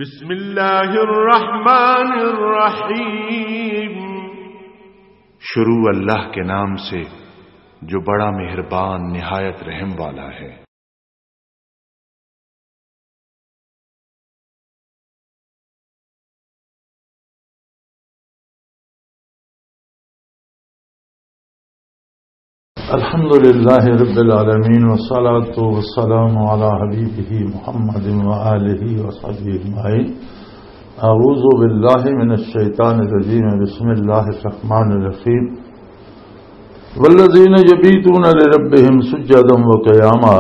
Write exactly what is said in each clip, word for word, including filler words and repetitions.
بسم اللہ الرحمن الرحیم۔ شروع اللہ کے نام سے جو بڑا مہربان نہایت رحم والا ہے۔ الحمد لله رب العالمين، والصلاة والسلام على حبيبه محمد وآله وصحبه أجمعين. أعوذ بالله من الشيطان الرجيم. بسم الله الرحمن الرحيم. والذين يبيتون لربهم سجدا وقياما،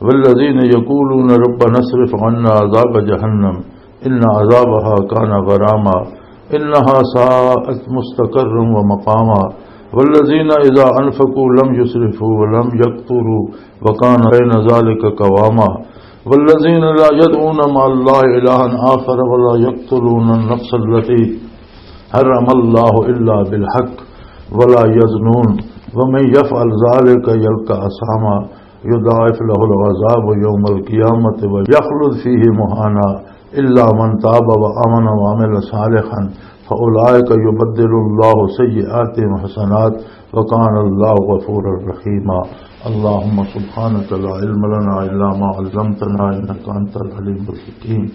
والذين يقولون ربنا اصرف عنا عذاب جهنم إن عذابها كان غراما، إنها ساءت مستقرا ومقاما، والذين إذا أنفقوا لم يسرفوا ولم يقتروا وكان بين ذلك قواما، والذين لا يدعون مع الله إلها آخر ولا يقتلون النفس التي حرم الله إلا بالحق ولا يزنون، ومن يفعل ذلك يلق أثاما، يضاعف له العذاب يوم القيامة ويخلد فيه مهانا، إلا من تاب وآمن وعمل صالحا فأولئك يبدل الله سيئاتهم حسنات، وكان الله غفورا رحيما. اللهم سبحانك لا علم لنا إلا ما علمتنا إنك أنت العليم الحكيم.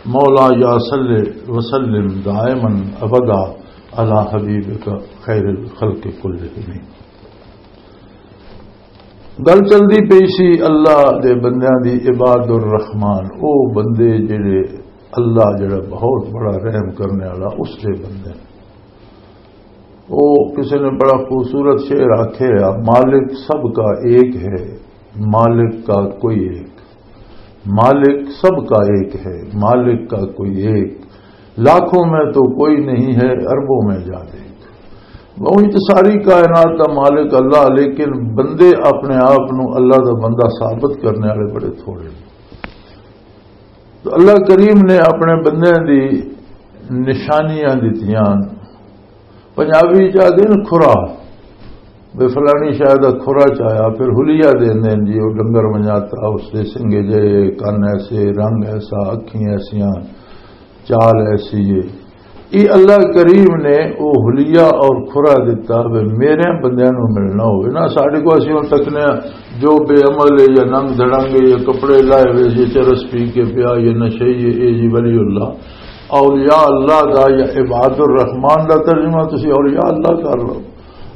مولاي صل وسلم دائما أبدا على حبيبك خير الخلق كلهم. گل چلدی پئی سی اللہ دے بندیاں دی، عباد الرحمان، او بندے جڑے اللہ جڑا بہت بڑا رحم کرنے والا، اس دے بندے۔ او کسے نے بڑا خوبصورت شعر آکھے آ، "مالک سب کا ایک ہے، مالک کا کوئی ایک۔" مالک سب کا ایک ہے، مالک کا کوئی ایک، لاکھوں میں تو کوئی نہیں ہے، اربوں میں جا دیکھ۔ وہی تو ساری کائنات دا مالک اللہ، لیکن بندے اپنے آپ نو اللہ دا بندہ ثابت کرنے والے بڑے تھوڑے نے۔ تو اللہ کریم نے اپنے بندیاں دی نشانیاں دتیاں۔ پنجابی چ آدھے نے کھرا، بے فلانی شاید کھرا چایا، پھر حلیہ دے دین جی، وہ ڈنگر منجاتا، اس دے سنگے جے، کن ایسے، رنگ ایسا، اکھیں ایسیاں، چال ایسی ہے۔ یہ اللہ کریم نے وہ حلیہ اور کھرا دتا، بے میرے بندیاں نو ملنا ہوئے نا۔ ساڈے کو اسی ہن تکنے ہاں، جو بے عمل ہے یا ننگ دھڑنگ ہے یا کپڑے لائے ہوئے، یہ چرس پی کے پیا، یہ نشئی ہے، اے جی ولی اللہ۔ اولیاء اللہ دا یا عباد الرحمان دا ترجمہ تسی اولیاء اللہ کر لو۔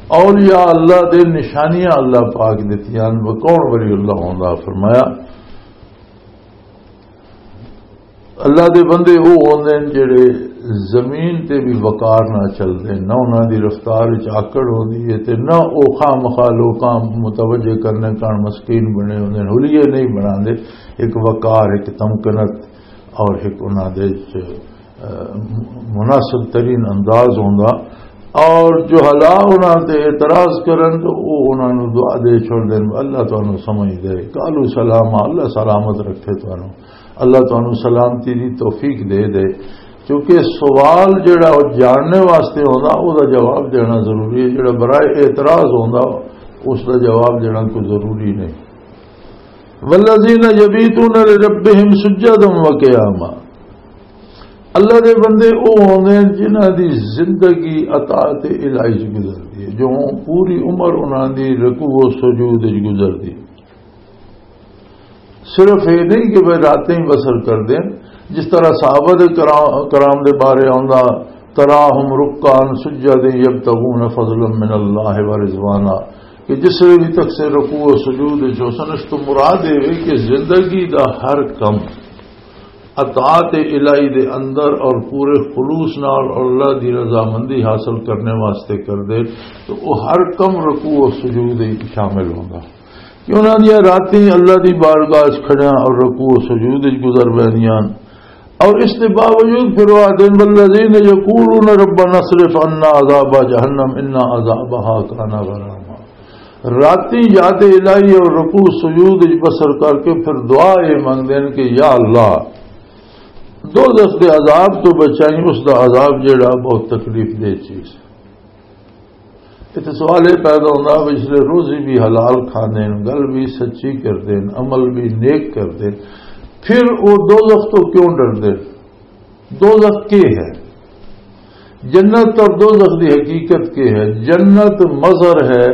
اولیاء اللہ دے نشانیاں اللہ پاک دتیاں۔ وہ کون ولی اللہ ہوندا؟ فرمایا، اللہ دے بندے او ہوندے نے جڑے زمین تے بھی وقار نہ چلدے، نہ انہاں دی رفتار وچ آکڑ ہوندی ہے تے نہ او خامخواہ لوکاں متوجہ کرنے کان مسکین بنے ہوندے نے، حلیے نہیں بناندے۔ ایک وقار، ایک تمکنت اور ایک انہاں دے وچ، اہ، مناسب ترین انداز ہوندا۔ اور جو حلا انہاں تے اعتراض کرن تو او انہاں نوں دعا دے چھوڑ دین، "اللہ تانوں سمجھ دے، قالوا سلاما، اللہ سلامت رکھے تانوں۔" اللہ تانوں سلامتی دی توفیق دے دے، کیونکہ سوال جڑا او جاننے واسطے ہوندا، او دا جواب دینا ضروری ہے۔ جڑا برائے اعتراض ہوندا، اس دا جواب دینا کوئی ضروری نہیں۔ والذین یبیتون لربہم سجدا و قیاما۔ اللہ دے بندے او ہوندے ہیں جنہاں دی زندگی اطاعت الہی چ گزردی ہے، جو پوری عمر انہاں دی رکوع و سجود وچ گزردی۔ صرف یہ نہیں کہ وہ راتیں ہی بسر کر دیں، جس طرح صحابہ دے کرا-، کرام دے بارے آندا، "تراہم رکعاً سجداً یبتغون فضلاً من اللہ و رضوانا"، کہ جس ویلے بھی تک سے رکوع و سجود وچ ہوسن، اس تو مراد یہ ہے کہ زندگی دا ہر کم اطاعت الہی دے اندر اور پورے خلوص نال اور اللہ دی رضامندی حاصل کرنے واسطے کر دے، تو وہ ہر کم رکوع و سجود وچ شامل ہوندا۔ کہ انہاں دیاں راتیں اللہ دی بارگاہ وچ کھڑیاں اور رکوع و سجود وچ گزر ویندیاں۔ اور اس دے باوجود پھر وہ آدھے، "والذین یقولون ربنا اصرف عنا عذاب جہنم ان عذابها کان غراما۔" راتیں یاد الہی اور رکوع سجود وچ بسر کر کے پھر دعا یہ منگدے ہیں کہ یا اللہ، دوزخ دے عذاب تو بچائیں، اس دا عذاب جڑا بہت تکلیف دہ چیز۔ اتنے سوال یہ پیدا ہوتا، پچھلے روزی بھی حلال کھاندے ہیں، گل بھی سچی کردے ہیں، عمل بھی نیک کردے ہیں، پھر وہ دوزخ تو کیوں ڈردے ہیں؟ دوزخ کے ہے؟ جنت اور دوزخ دی حقیقت کے ہے؟ جنت مظہر ہے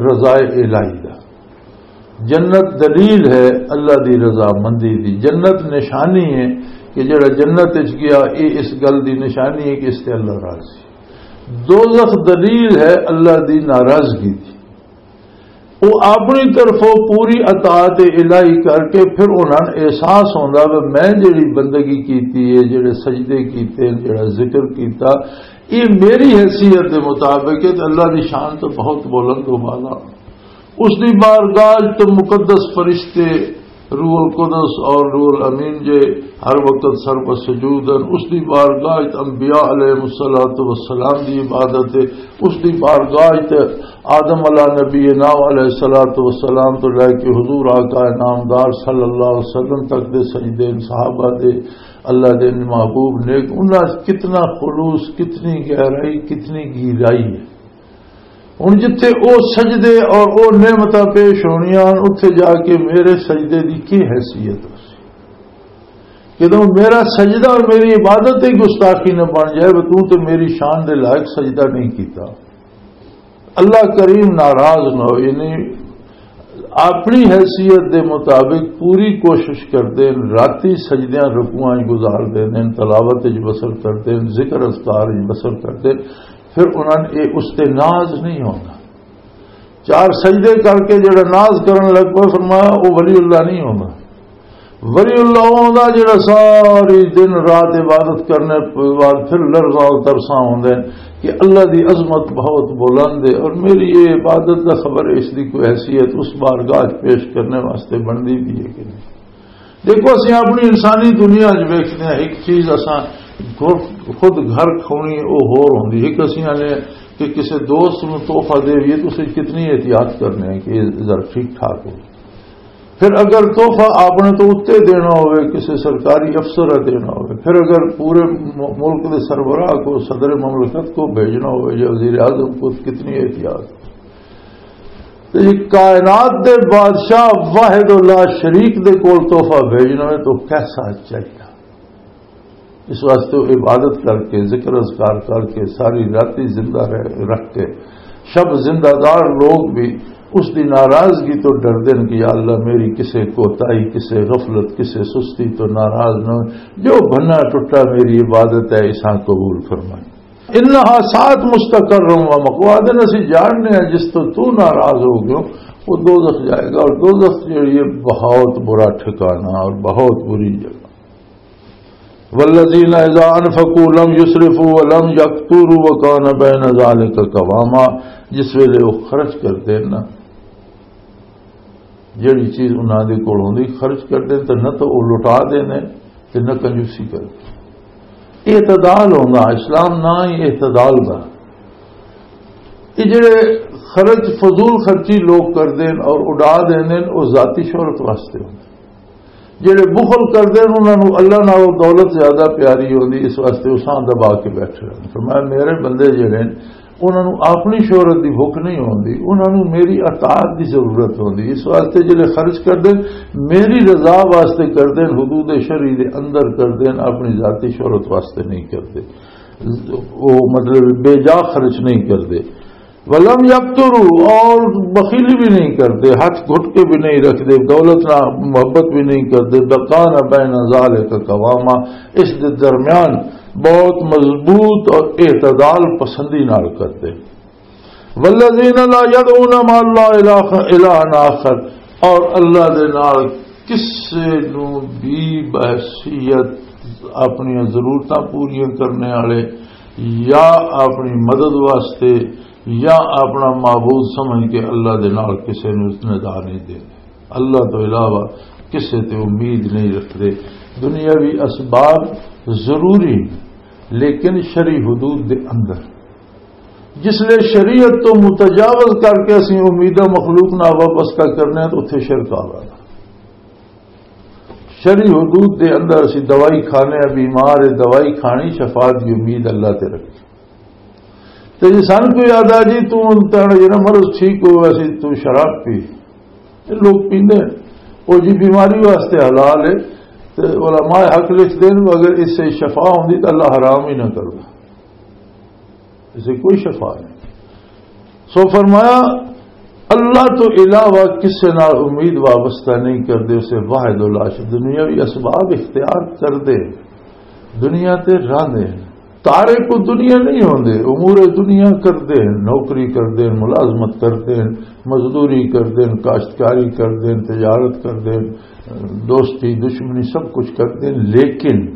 رضائے الہی دا۔ جنت دلیل ہے اللہ دی رضامندی دی۔ جنت نشانی ہے کہ جڑا جنت وچ گیا، یہ اس گل دی نشانی ہے کہ اس تے اللہ راضی۔ دوزخ دلیل ہے اللہ دی ناراضگی دی۔ وہ اپنی طرفوں پوری اطاعت الہی کر کے پھر انہاں نوں احساس ہوندا کہ میں جڑی بندگی کیتی ہے، جڑے سجدے کیتے، جڑا ذکر کیتا، یہ میری حیثیت دے مطابق ہے، تے اللہ دی شان تو بہت بلند و بالا۔ اس دی بارگاہ وچ تے مقدس فرشتے، روح القدس اور روح الامین جے ہر وقت سر پر سجود ہیں۔ اس دی بارگاہ وچ انبیاء علیہ الصلوۃ والسلام دی عبادت ہے۔ اس دی بارگاہ وچ آدم علیہ نبینا علیہ الصلوۃ والسلام تو لے کے حضور آقا نامدار صلی اللہ علیہ وسلم تک دے سجدے، صحابہ دے، اللہ دے محبوب نیک، انہاں وچ کتنا خلوص، کتنی گہرائی، کتنی گہرائی ہے۔ ہن جتھے او سجدے اور او نعمتاں پیش ہونیاں ہن، اتھے جا کے میرے سجدے دی کی حیثیت ہو سی؟ جدوں میرا سجدہ اور میری عبادت ہی گستاخی نہ بن جائے، وہ تو تے میری شان دے لائق سجدہ نہیں کیتا۔ اللہ کریم ناراض نہ ہو، یعنی اپنی حیثیت دے مطابق پوری کوشش کردے ہیں، راتی سجدیاں رکوعاں وچ گزار دے ہیں، تلاوت وچ بسر کردے ہیں، ذکر اذکار وچ بسر کردے ہیں، پھر انہاں نے یہ اس تے ناز نہیں ہونا۔ چار سجدے کر کے جڑا ناز کرن لگ پیا، فرمایا وہ ولی اللہ نہیں ہونا۔ ولی اللہ ہوندا جڑا ساری دن رات عبادت کرنے بعد پھر لرزاں و ترساں ہوندے ہیں کہ اللہ دی عظمت بہت بلند ہے اور میری یہ عبادت دا خبر ہے، اس دی کوئی حیثیت اس بارگاہ وچ پیش کرنے واسطے بندی بھی ہے کہ نہیں۔ دیکھو، اسی اپنی انسانی دنیا وچ ویکھدے ہیں، ایک چیز اساں خود، خود گھر کھونی او ہور ہوندی ہے۔ ایک اسی آنے کہ کسی دوست نوں تحفہ دے بھی تو اسے کتنی احتیاط کرنے ہیں کہ یہ ذرا ٹھیک ٹھاک ہو۔ پھر اگر تحفہ آپ نے تو اتنے دینا ہوئے، کسی سرکاری افسر نے دینا ہوئے، پھر اگر پورے م-، ملک کے سربراہ کو، صدر مملکت کو بھیجنا ہوئے یا وزیر اعظم کو، کتنی احتیاط؟ تو یہ کائنات دے بادشاہ واحد اللہ شریک دے کول تحفہ بھیجنا ہے تو کیسا چاہیے؟ اس واسطے وہ عبادت کر کے، ذکر اذکار کر کے، ساری راتی زندہ رہ، رکھ کے، شب زندہ دار لوگ بھی اس دی ناراضگی تو ڈردے نے کہ یا اللہ، میری کسے کوتاہی، کسے غفلت، کسے سستی تو ناراض نہ ہو۔ جو بھنا ٹوٹا میری عبادت ہے، اساں قبول فرمائے۔ انہا ساعت مستقر و مقوا دن، اسی جاننے ہیں جس تو تو ناراض ہو گئے، وہ دوزخ جائے گا۔ اور دوزخ جو یہ بہت برا ٹھکانہ اور بہت بری جگہ۔ والذین اذا انفقوا لم یسرفوا ولم یقتروا وکان بین ذلک قواما، جس ویلے وہ خرچ کردے نا، جڑی چیز انہاں دے کول ہوندی خرچ کردے تے نہ تو وہ لٹا دینے تے نہ کنجوسی کردے۔ اعتدال ہوندا اسلام، نہ ہی اعتدال دا۔ یہ جڑے خرچ، فضول خرچی لوگ کردے اور اڈا دیندے، وہ ذاتی شہرت واسطے ہوندے۔ جڑے بخل کردے نے، انہاں نوں اللہ نالوں دولت زیادہ پیاری ہوندی، اس واسطے اساں دبا کے بیٹھے رہن۔ فرمایا، میرے بندے جڑے نے، انہاں نوں اپنی شہرت دی بھوک نہیں ہوندی، انہاں نوں میری اطاعت دی ضرورت ہوندی۔ اس واسطے جڑے خرچ کردے، میری رضا واسطے کردے، حدود شرعی دے اندر کردے، اپنی ذاتی شہرت واسطے نہیں کردے۔ وہ مطلب بے جا خرچ نہیں کردے۔ ولم یقتروا، اور بخیلی بھی نہیں کرتے، ہاتھ گھٹ کے بھی نہیں رکھتے، دولت نہ محبت بھی نہیں کرتے۔ وکان بین ذلک قواما، اس دے درمیان بہت مضبوط اور اعتدال پسندی نال کرتے۔ والذین لا یدعون مع اللہ الہ، الہ آخر، اور اللہ دے نال کسے نوں بھی بحیثیت اپنی ضرورتاں پوریاں کرنے والے یا اپنی مدد واسطے یا اپنا معبود سمجھ کے اللہ دے نال کسے نوں ندا نہیں دے۔ اللہ تو علاوہ کسے تے امید نہیں رکھتے۔ دنیاوی اسباب ضروری، لیکن شرعی حدود دے اندر۔ جس لئے شریعت تو متجاوز کر کے اسی امیداں مخلوق نال وابستہ کرنے ہیں تو اتھے شرک آ گیا۔ شرعی حدود دے اندر اسی دوائی کھانے ہیں، بیمار ہے، دوائی کھانی، شفا دی امید اللہ تے رکھی۔ تے جی سن کوئی آدا، جی تو تیرا جڑا مرض ٹھیک ہو، اسی تو شراب پی، یہ لوگ پیندے ہیں۔ وہ جی بیماری واسطے حلال ہے، تے علماء حق لکھ دین، اگر اس سے شفا ہوندی تو اللہ حرام ہی نہ کردا، اسے کوئی شفا نہیں۔ سو فرمایا، اللہ تو علاوہ کسے نال امید وابستہ نہیں کردے، اسے واحد و لا شریک، دنیاوی اسباب اختیار کردے، دنیا تے رہندے ہیں۔ تارے کو دنیا نہیں ہوندے، امور دنیا کردے ہیں، نوکری کردے ہیں، ملازمت کردے ہیں، مزدوری کردے ہیں، کاشتکاری کردے ہیں، تجارت کردے ہیں، دوستی دشمنی سب کچھ کردے ہیں، لیکن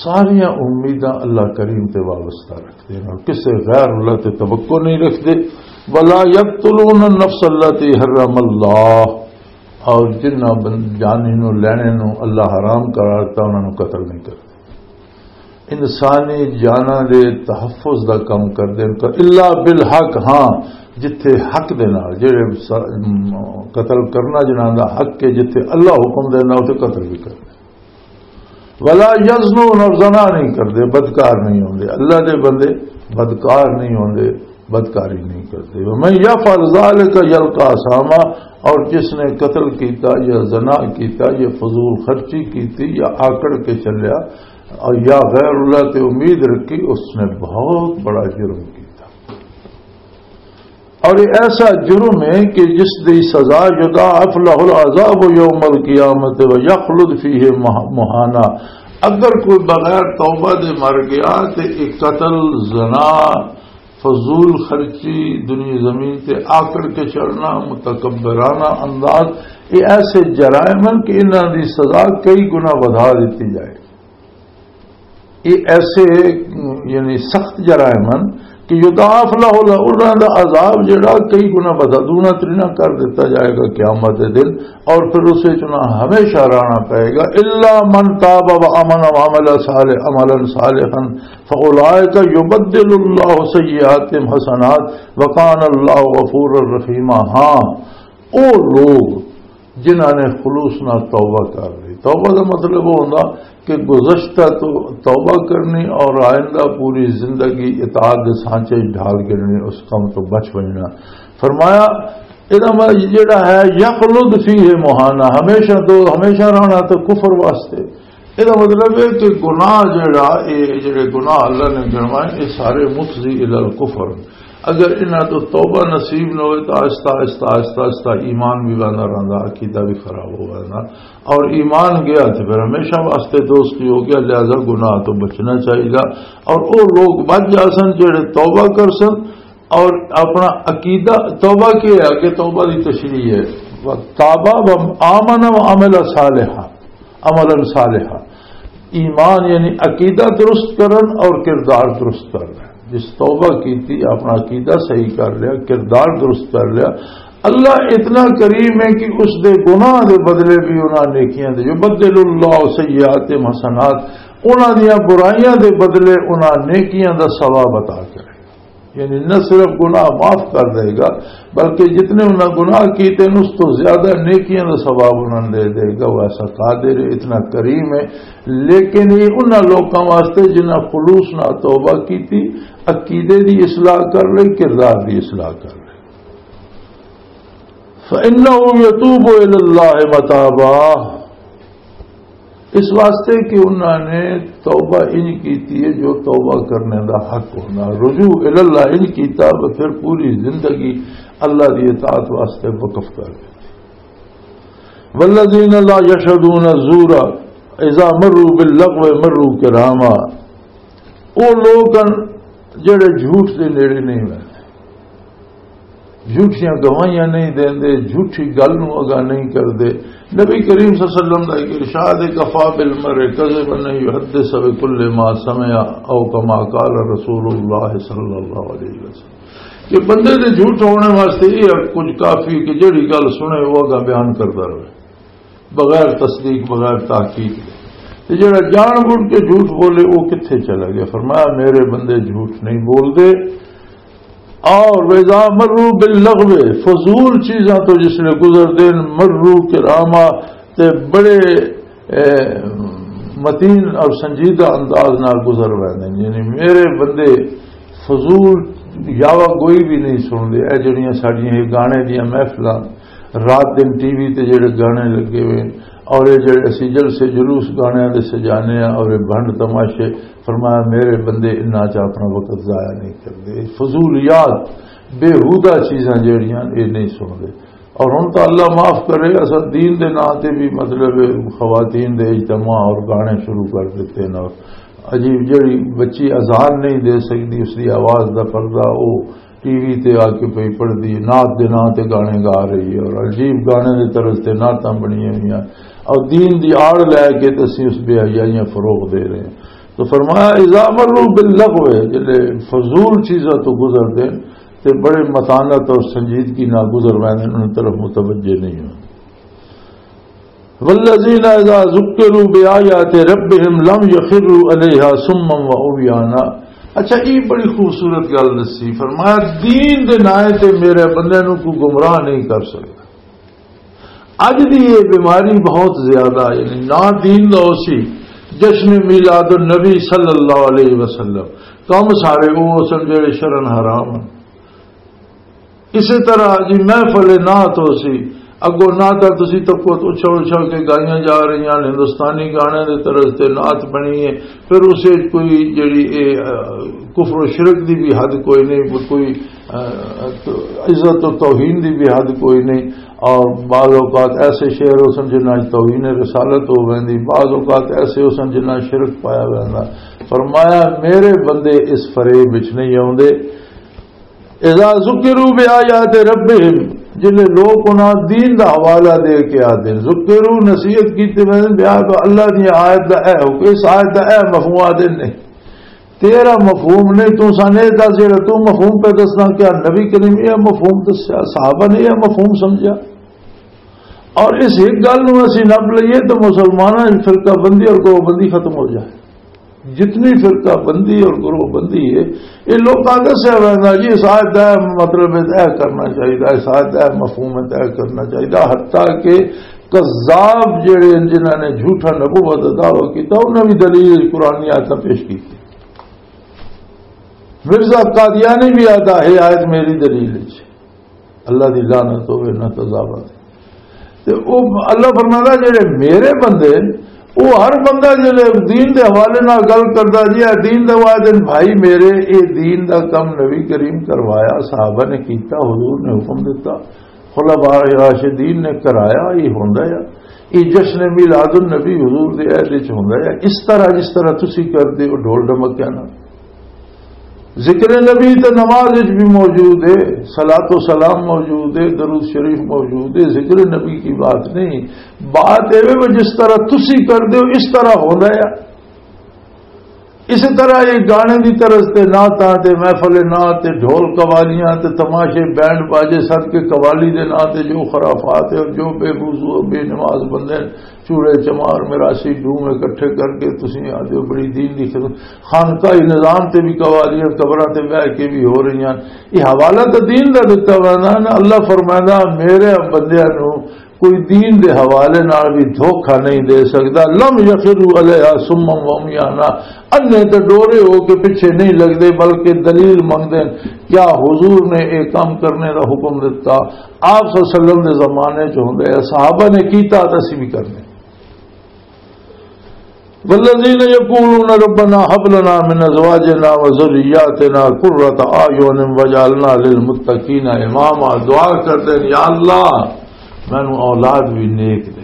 ساریاں امیداں اللہ کریم تے وابستہ رکھدے ہیں اور کسے غیر اللہ تے توقع نہیں رکھدے۔ ولا یقتلون النفس التي حرم اللہ، اور جنہ بن-، جانی نو لینے نو اللہ حرام قرار دیتا، انہاں نو قتل نہیں کرتے۔ انسانی جاناں دے تحفظ دا کم کردے ہیں، الا بالحق، ہاں، جتھے حق دے نال، جڑے س-، م-، قتل کرنا جنہاں دا حق ہے، جتھے اللہ حکم دینا، اتھے قتل بھی کردے۔ ولا یزنون، اور زنا نہیں کردے، بدکار نہیں ہوندے۔ اللہ دے بندے بدکار نہیں ہوندے، بدکاری نہیں کردے۔ ومن یفعل ذلک یلق اثاما، اور جس نے قتل کیتا یا زنا کیتا یا فضول خرچی کیتی یا آکڑ کے چلیا اور یا غیر اللہ تے امید رکھی، اس نے بہت بڑا جرم کیتا۔ اور یہ ایسا جرم ہے کہ جس دی سزا یضاعف لہ العذاب یوم القیامت و یخلد فیہ مہ-، مہانا۔ اگر کوئی بغیر توبہ دے مر گیا تے یہ قتل، زنا، فضول خرچی، دنیا زمین تے آکڑ کے چڑھنا، متکبرانہ انداز، یہ ایسے جرائم ہیں کہ انہاں دی سزا کئی گنا ودھا دتی جائے۔ یہ ایسے، یعنی سخت جرائم ہیں کہ یضاعف لہ، انہاں دا عذاب جڑا کئی گنا ودھا، دونا ترینا کر دیتا جائے گا قیامت دے دن، اور پھر اس وچ انہاں ہمیشہ رہنا پائے گا۔ الا من تاب و امن و عمل صالح، عملا صالحا فاولئک یبدل اللہ سیئاتہم حسنات وکان اللہ غفورا رحیما۔ ہاں، او لوگ جنہاں نے خلوص نال توبہ کر لی۔ توبہ دا مطلب وہ ہوندا کہ گزشتہ تو توبہ کرنی اور آئندہ پوری زندگی اطاعت دے سانچے وچ ڈھال کے اس کم تو بچ بچنا۔ فرمایا، ادا مطلب جڑا ہے، یخلد فیہ مہانا، ہمیشہ تو ہمیشہ رہنا تو کفر واسطے۔ ادا مطلب ہے کہ گناہ جڑا، اے جڑے گناہ اللہ نے گنوائے، اے سارے مفضی الی الکفر۔ اگر انہاں تو توبہ نصیب نہ ہوئے تو آہستہ، آہستہ، آہستہ، آہستہ ایمان بھی ویندا رہندا، عقیدہ بھی خراب ہو ویندا۔ اور ایمان گیا تو پھر ہمیشہ واسطے دوستی ہو گیا، لہذا گناہ تو بچنا چاہیے۔ اور وہ لوگ بچ جا سن جڑے توبہ کر سن اور اپنا عقیدہ، توبہ کیا ہے کہ توبہ دی تشریح ہے، تابا و آمن و عمل صالحا، عملا صالحا۔ ایمان یعنی عقیدہ درست کرن اور کردار درست کرنا۔ جس توبہ کیتی، اپنا عقیدہ صحیح کر لیا، کردار درست کر لیا، اللہ اتنا کریم ہے کہ اس دے گناہ دے بدلے بھی انہاں نیکیاں دے، یبدل اللہ سیئات حسنات، انہاں دیاں برائیاں دے بدلے انہاں نیکیاں دا ثواب عطا کرے۔ یعنی نہ صرف گناہ معاف کر دے گا، بلکہ جتنے انہاں گناہ کیتے ہیں، اس تو زیادہ نیکیاں دا ثواب انہاں دے دے گا۔ وہ ایسا قادر ہے، اتنا کریم ہے۔ لیکن یہ انہاں لوکاں واسطے جنہاں خلوص نال توبہ کیتی، عقیدے دی اصلاح کر لئی، کردار دی اصلاح کر لئی۔ فَإِنَّهُ يَتُوبُ إِلَى اللَّهِ مَتَابًا، اس واسطے کہ انہاں نے توبہ انج کیتی ہے جو توبہ کرنے دا حق ہونا، رجوع الی اللہ انج کیتا، وہ پھر پوری زندگی اللہ دی اطاعت واسطے وقف کر دتی۔ والذین لا یشهدون الزور اذا مروا باللغو مروا کراما، وہ لوگ ہیں جڑے جھوٹ دے نیڑے نہیں ہوندے، جھوٹیاں گواہیاں نہیں دیندے، جھوٹی گل نوں اگا نہیں کردے۔ نبی کریم صلی اللہ علیہ وسلم دا ایک ارشاد ہے، کفا بالمرء کذبا ان یحدث بکل ما سمع، او کما قال رسول اللہ صلی اللہ علیہ وسلم، کہ بندے دے جھوٹ ہونے واسطے یہ کچھ کافی کہ جڑی گل سنے وہ اگا بیان کردا رہے، بغیر تصدیق، بغیر تحقیق دے۔ تے جڑا جان بوجھ کے جھوٹ بولے، وہ کتھے چلا گیا؟ فرمایا، میرے بندے جھوٹ نہیں بولدے۔ اور وَإِذَا مَرُّوا بِاللَّغْوِ، فضول چیزاں تو جس لے گزر دین، مرو کراما، تے بڑے، اے، متین اور سنجیدہ انداز نال گزر ویندے۔ یعنی میرے بندے فضول یاوہ گوئی بھی نہیں سن دے۔ اے جڑیاں ساڈیاں یہ گانے دیاں محفلاں، رات دن ٹی وی تے جڑے گانے لگے ہوئے ہیں، اور یہ جڑے اسی جلسے جلوس گانے دے سجانے ہیں اور یہ بھنڈ تماشے، فرمایا میرے بندے انہاں چ اپنا وقت ضائع نہیں کردے۔ فضولیات، بیہودہ چیزاں جڑیاں، یہ نہیں سن دے۔ اور ہن تو اللہ معاف کرے، اساں دین دے ناں تے بھی، مطلب، خواتین دے اجتماع اور گانے شروع کر دیتے ہیں۔ اور عجیب، جڑی بچی اذان نہیں دے سکدی، اس دی آواز دا پردہ، او ٹی وی تے آ کے پئی پڑھدی، نعت دے ناں تے گانے گا رہی ہے اور عجیب گانے دے طرز تے نعتاں بنیاں ہوئیاں اور دین دی آڑ لے کے تے اسی اس بے حیائیاں فروغ دے رہے ہیں۔ تو فرمایا، "اذا مروا باللغو"، جلے فضول چیزاں تو گزر دین تے بڑے متانت اور سنجیدگی نال گزر ویندے، انہاں طرف متوجہ نہیں ہوندے۔ "والذین اذا ذکروا بآیات ربهم لم یخروا علیہا صما و عمیانا۔" اچھا، یہ بڑی خوبصورت گل دسی، فرمایا، "دین دے نائے تے میرے بندے نوں کوئی گمراہ نہیں کر سکدا۔" اج دی یہ بیماری بہت زیادہ ہے، یعنی نہ دین دا اسی جشن میلاد النبی صلی اللہ علیہ وسلم، کم سارے وہ سن جڑے شرن حرام ہیں۔ اسی طرح جی محفل نعت ہو سی، اگوں نعتاں تسی تکو اچھل اچھل کے گائیاں جا رہی ہیں، ہندوستانی گانے دے طرز تے نعت بنی ہے، پھر اسے کوئی جڑی اے، آ، کفر و شرک دی بھی حد کوئی نہیں، کوئی، آ، عزت و توہین دی بھی حد کوئی نہیں۔ اور بعض اوقات ایسے شعر ہو سن جنہاں وچ توہین رسالت ہو ویندی، بعض اوقات ایسے ہو سن جنہاں شرک پایا ویندا۔ فرمایا، میرے بندے اس فریب وچ نہیں آوندے۔ اذا ذکروا بآیات ربهم، جلے لوگ انہاں دین دا حوالہ دے کے آتے ہیں، ذکروا، نصیحت کیتے ویندے، بیا تو اللہ دی آیت دا اے حکم، اس آیت دا اے مفہوم آتے نہیں۔ تیرا مفہوم نہیں، تو سانے دس جڑا تو مفہوم پہ دسنا، کیا نبی کریم یہ مفہوم دسیا، صحابہ نے یہ مفہوم سمجھا؟ اور اس ایک گل نو اسی نپ لئیے تو مسلماناں دی فرقہ بندی اور گروہ بندی ختم ہو جائے۔ جتنی فرقہ بندی اور گروہ بندی ہے، یہ لوکاں دسیا ویندا جی، اس آیت دا اے مطلب ہے، اے کرنا چاہیے، اس آیت دا اے مفہوم ہے، اے کرنا چاہیے۔ حتیٰ کہ کذاب جڑے ہیں، جنہاں نے جھوٹا نبوت دا دعویٰ کیتا، انہاں بھی دلیل قرآن دی آیتاں پیش کیتی۔ مرزا قادیانی بھی آتا ہے، آیت میری دلیل ہے۔ اللہ دی لعنت ہوے، نہ قضاوت۔ تے او اللہ فرماندا، جڑے میرے بندے، او ہر بندہ جڑے دین دے حوالے نال گل کردا جی، اے دین دا، وہ آدھے بھائی میرے، اے دین دا کم نبی کریم کروایا، صحابہ نے کیتا، حضور نے حکم دیتا، خلفاء راشدین نے کرایا، یہ ہوندا ہے۔ یہ جشن میلاد النبی حضور دے عہد وچ ہوندا ہے۔ اس طرح، جس طرح تسی کردے ہو ڈھول ڈمکیاں نال، ذکر نبی تے نماز وچ بھی موجود ہے، صلاۃ و سلام موجود ہے، درود شریف موجود ہے، ذکر نبی کی بات نہیں۔ بات اے وے جس طرح تسی کردے ہو، اس طرح ہوندا ہے۔ اسی طرح یہ گانے دی طرز تے نعتاں تے محفل نعت تے ڈھول قوالیاں تے تماشے، بینڈ باجے سد کے قوالی دے ناں تے جو خرافات ہے اور جو بے وضو، بے نماز بندے چوڑے چمار، میراثی ڈوم اکٹھے کر کے تسی آدھے ہو بڑی دین دی خدمت۔ خانقاہی نظام تے بھی قوالیاں قبراں تے بہ کے بھی ہو رہی ہیں۔ یہ حوالہ تو دین دا دتا ہوا نا۔ اللہ فرمائندا، میرے بندیاں نو کوئی دین دے حوالے نال بھی دھوکا نہیں دے سکدا۔ لم یخروا علیہا صما و عمیانا، انے تے ڈورے ہو کے پیچھے نہیں لگدے، بلکہ دلیل منگدے ہیں۔ کیا حضور نے ایک کام کرنے دا حکم دتا؟ آپ صلی اللہ علیہ وسلم دے زمانے چ ہوندے، صحابہ نے کیتا تے اسی بھی کرنے۔ والذین یقولون ربنا هب لنا من ازواجنا وذریاتنا قرۃ اعین واجعلنا للمتقین اماما، دعا کردے ہیں، یا اللہ، مینوں اولاد بھی نیک دے،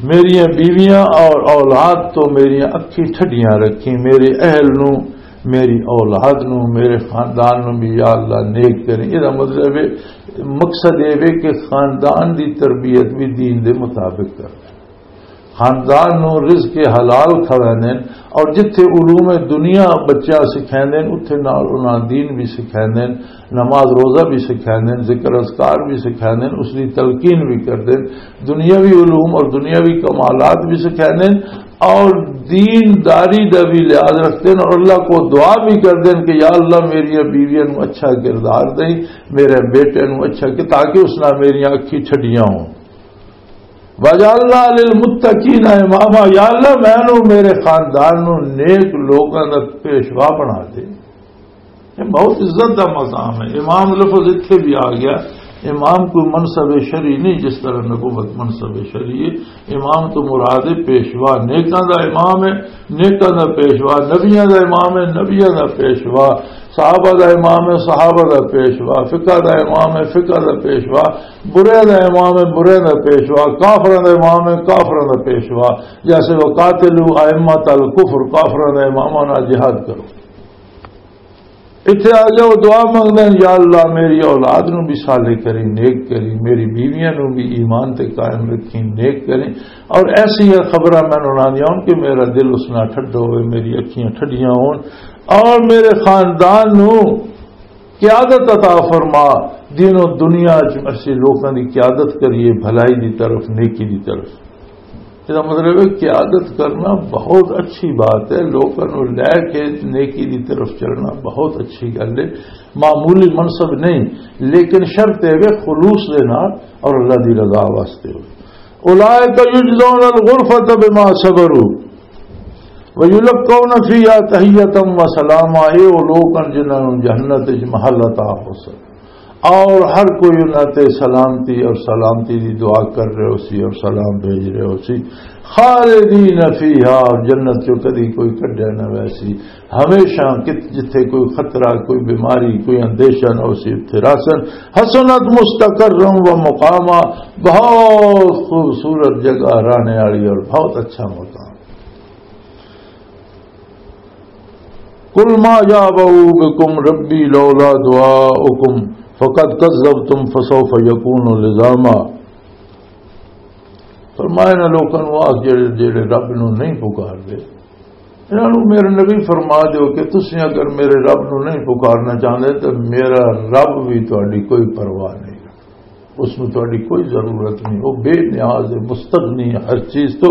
میریاں بیویاں اور اولاد تو میریاں اکھیں ٹھڈیاں رکھیں، میرے اہل نو، میری اولاد نو، میرے خاندان نو بھی یا اللہ نیک کریں۔ یہ مطلب ہے، مقصد یہ ہے کہ خاندان دی تربیت بھی دین دے مطابق کرنا۔ خاندان نو رزق حلال کھویندے نے، اور جتھے علوم دنیا بچہ سکھیندے نے، اتھے نال انہاں دین بھی سکھیندے نے، نماز روزہ بھی سکھیندے نے، ذکر اذکار بھی سکھیندے نے، اس دی تلقین بھی کردے نے، دنیاوی علوم اور دنیاوی کمالات بھی سکھیندے نے، اور دین داری دا بھی لحاظ رکھتے ہیں، اور اللہ کو دعا بھی کردے ہیں کہ یا اللہ، میری بیویاں نو اچھا کردار دیں، میرے بیٹے نو اچھا کہ، تاکہ اس نال میریاں اکھی چھڈیاں ہوں۔ وجعلنا للمتقین اماما، یا اللہ، مینوں میرے خاندان نوں نیک لوکاں دا پیشوا بنا دے۔ یہ بہت عزت دا مقام ہے۔ امام لفظ اتھے بھی آ گیا، امام کوئی منصب شرعی نہیں، جس طرح نبوت منصب شرعی ہے۔ امام تو مراد ہے پیشوا، نیکاں دا امام ہے، نیکاں دا پیشوا، نبیاں دا امام ہے، نبیاں دا پیشوا، صحابہ دا امام ہے، صحابہ دا پیشوا، فقہ دا امام ہے، فقہ دا پیشوا، برے دا امام ہے، برے دا پیشوا، کافراں دا امام ہے، کافراں دا پیشوا۔ جیسے وقاتلوا ائمۃ الکفر، کافراں دا اماماں نال جہاد کرو۔ اتھے آ گیا، وہ دعا منگدا ہے، "یا اللہ، میری اولاد نو بھی صالح کریں، نیک کریں، میری بیویاں نو بھی ایمان تے قائم رکھیں، نیک کریں۔" اور ایسی خبراں میں انہاں دیاں ہون کہ میرا دل اس نال ٹھڈا ہوئے، میری اکھیاں ٹھڈیاں ہون، اور میرے خاندان نو قیادت عطا فرما، دین و دنیا چ ایسے لوکاں دی قیادت کریے، بھلائی دی طرف، نیکی دی طرف۔ اس کا مطلب ہے، قیادت کرنا بہت اچھی بات ہے، لوگوں کو لے کے نیکی کی طرف چلنا بہت اچھی گل ہے، معمولی منصب نہیں، لیکن شرط ہے کہ خلوص دے نال اور اللہ دی رضا واسطے ہو۔ اولئک یجزون الغرفۃ بما صبروا ویلقون فیہا تحیۃ و سلاما، اے او لوگ ہیں جنہاں نوں جنت وچ محل عطا ہو سکے۔ اور ہر کوئی انہاں تے سلامتی اور سلامتی دی دعا کر رہے ہو سی اور سلام بھیج رہے ہو سی۔ خالدین فیہا، اور جنت چوں کدی کوئی کڈیا نہ ویسی۔ ہمیشہ کت-، جتھے کوئی خطرہ، کوئی بیماری، کوئی اندیشہ نہ ہو سی، اتھے راسن۔ حسنت مستقرا و مقاما، بہت خوبصورت جگہ رہنے والی اور بہت اچھا مقام۔ قل ما یعبأ بکم ربی لولا دعاؤکم فقد کذبتم فسوف یکون لزاما۔ فرمایا، انہاں لوکاں نوں آکھ، جڑے، جڑے رب نوں نہیں پکار دے، انہاں نوں، میرے نبی، فرما دیو کہ تسی اگر میرے رب نوں نہیں پکارنا چاہندے تو میرا رب بھی تہاڈی کوئی پرواہ نہیں۔ اس میں تہاڈی کوئی ضرورت نہیں، وہ بے نیاز ہے، مستغنی ہے ہر چیز تو۔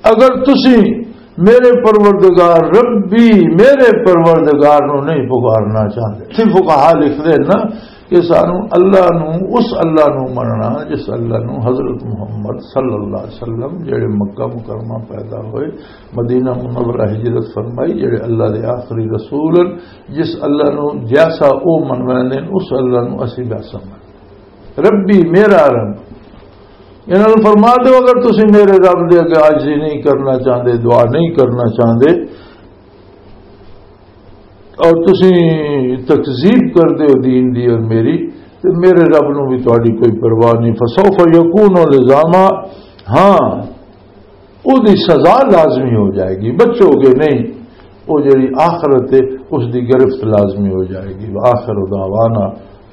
اگر تسی میرے پروردگار ربی، میرے پروردگار نو نہیں پکارنا چاہتے، تھی فقہا لکھ دے نا کہ سانو اللہ نو، اس اللہ نو مننا جس اللہ نو حضرت محمد صلی اللہ علیہ وسلم، جڑے مکہ مکرمہ پیدا ہوئے، مدینہ منورہ ہجرت فرمائی، جڑے اللہ دے آخری رسول ہیں، جس اللہ نو جیسا او منویندے ہیں، اس اللہ نو اسی ویسا من۔ ربی، میرا رب۔ انہاں نوں فرما دیو، اگر تسی میرے رب دے اگے عاجزی نہیں کرنا چاہندے، دعا نہیں کرنا چاہندے، اور تسی تکذیب کر دیو دین دی اور میری، تے میرے رب نوں بھی تہاڈی کوئی پرواہ نہیں۔ فسوف یکون لزاما، ہاں، او دی سزا لازمی ہو جائے گی، بچو گے نہیں۔ او جڑی آخرت ہے، اس دی گرفت لازمی ہو جائے گی۔ وآخر دعوانا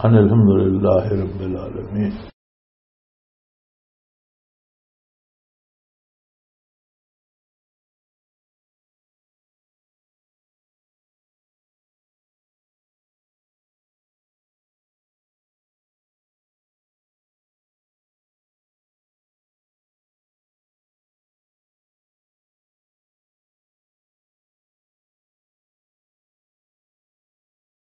ان الحمدللہ رب العالمین۔